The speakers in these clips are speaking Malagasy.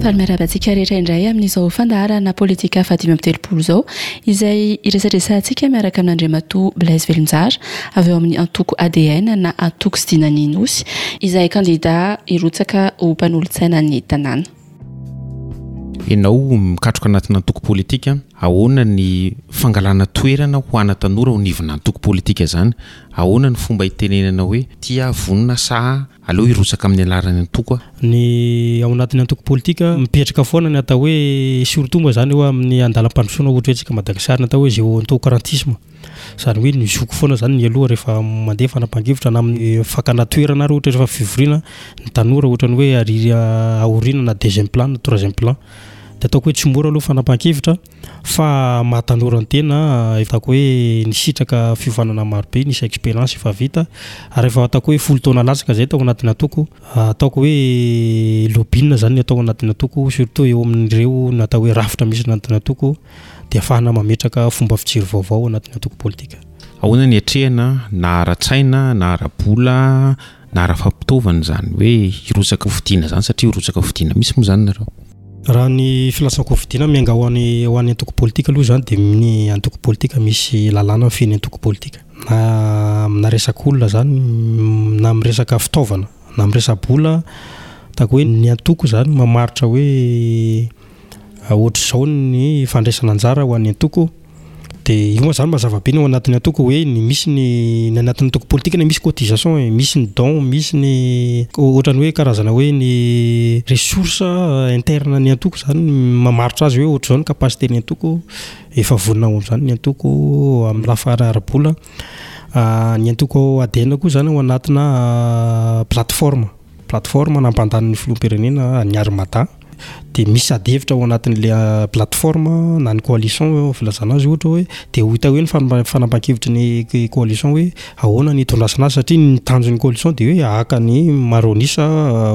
Faly miarahaba antsika rehetra indray amin'izao fandaharana politika faha 35 izao izay iresadresahantsika miaraka amin'Andriamatoa Blaise Velonjara avy ao amin'ny antoko ADN na Antoko sy Dinan'ny Nosy izay kandida hirotsaka ho mpanolotsainan'ny tanàna. Ianao mikatroka anatina antoko politika, ahoana ny fangalana toerana ho ana tanora ao anivona antoko politika izany? Ahoana ny fomba hitenenana hoe tia aho vonona sa aleo hirotsaka amin'ny alaran'ny antoko aho? Ny ao anatin'ny antoko politika, mipetraka foana ny atao hoe surtout moa izany eo amin'ny andalam-pandrosoana ohatra hoe antsika Madagasikara ny atao hoe géontocratisme. Izany hoe ny zoky foana izany ny aloha rehefa mandeha fanapahan-kevitra na amin'ny fakana toerana ary ohatra rehefa fivoriana, ny tanora ohatran'ny hoe ary aoriana na deuxième plan na troisième plan. Dia ataoko hoe tsy mora aloha fanapahan-kevitra fa maha tanora ny tena ataoko hoe nisitraka fiofanana maro be, nisy expérience efa vita ary efa ataoko hoe folo taona latsaka izay tao anatin'ny antoko. Ataoko hoe lobbying izany ny atao anatin'ny antoko surtout eo amin'ireo ny atao hoe rafitra misy anatin'ny antoko. dia ahafahana mametraka fomba fijery vaovao ao anatin'ny antoko politika. Ahoana ny hiatrehana na ara-tsaina na ara-bola na ara-fampitaovana izany hoe hirotsaka hofidiana izany satria hirotsaka hofidiana mihitsy moa izany nareo? Raha ny filatsahan-kofidiana miainga ho an'ny ho an'ny antoko politika aloha izany dia ny antoko politika misy lalàna mifehy ny antoko politika na amina resak'olona izany na amin'ny resaka fitaovana na amin'ny resa-bola ataoko hoe ny antoko izany mamaritra hoe Ohatr'izao ny fandraisana anjara ho an'ny antoko, dia io moa zany mazava be ny ao anatin'ny antoko hoe ny misy ny ny anatin'ny antoko politika anie misy cotisation e, misy ny don, misy ny ohatran'ny hoe karazana hoe ny ressource interne ny antoko zany mamaritra azy hoe ohatr'izao ny capacité ny antoko, efa vonona ho amin'izany ny antoko amin'ny lafiny ara-bola. Ny antoko ADN koa zany ao anatina plateforme. Plateforme nampandany ny filoham-pirenena ny Armada dia misy ady hevitra ao anatin'ilay plateforme na ny coalition filazana azy ohatra hoe dia ho hita eo ny fanapahan-kevitry ny coalition hoe ahoana ny hitondrasana azy satria ny tanjon'ny coalition dia hoe haka ny maro an'isa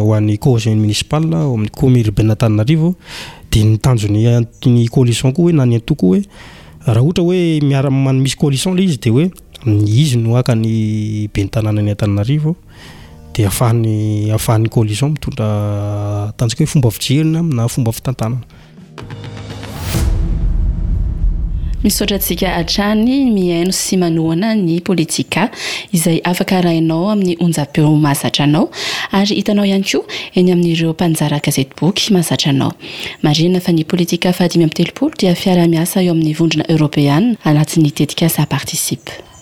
ho an'ny conseil municipal ao amin'ny commune urbaine Antananarivo dia ny tanjon'ny ny coalition koa hoe na ny antoko hoe raha ohatra hoe miara misy coalition ilay izy dia hoe izy no haka ny ben'ny tanànan'i Antananarivo. Dia ahafahan'ny ahafahan'ny coalition mitondra atantsika hoe fomba fijery na fomba fitantanana. Misaotra antsika hatrany mihaino sy manohana ny Politika izay afaka arahinao amin'ny onjam-peo mahazatra anao ary hitanao ihany koa eny amin'ireo mpanjara gazetiboky mahazatra anao. Marihina fa ny Politika faha 35 dia fiaraha-miasa eo amin'ny Vondrona Eoropeana anatin'ny tetikasa Participe.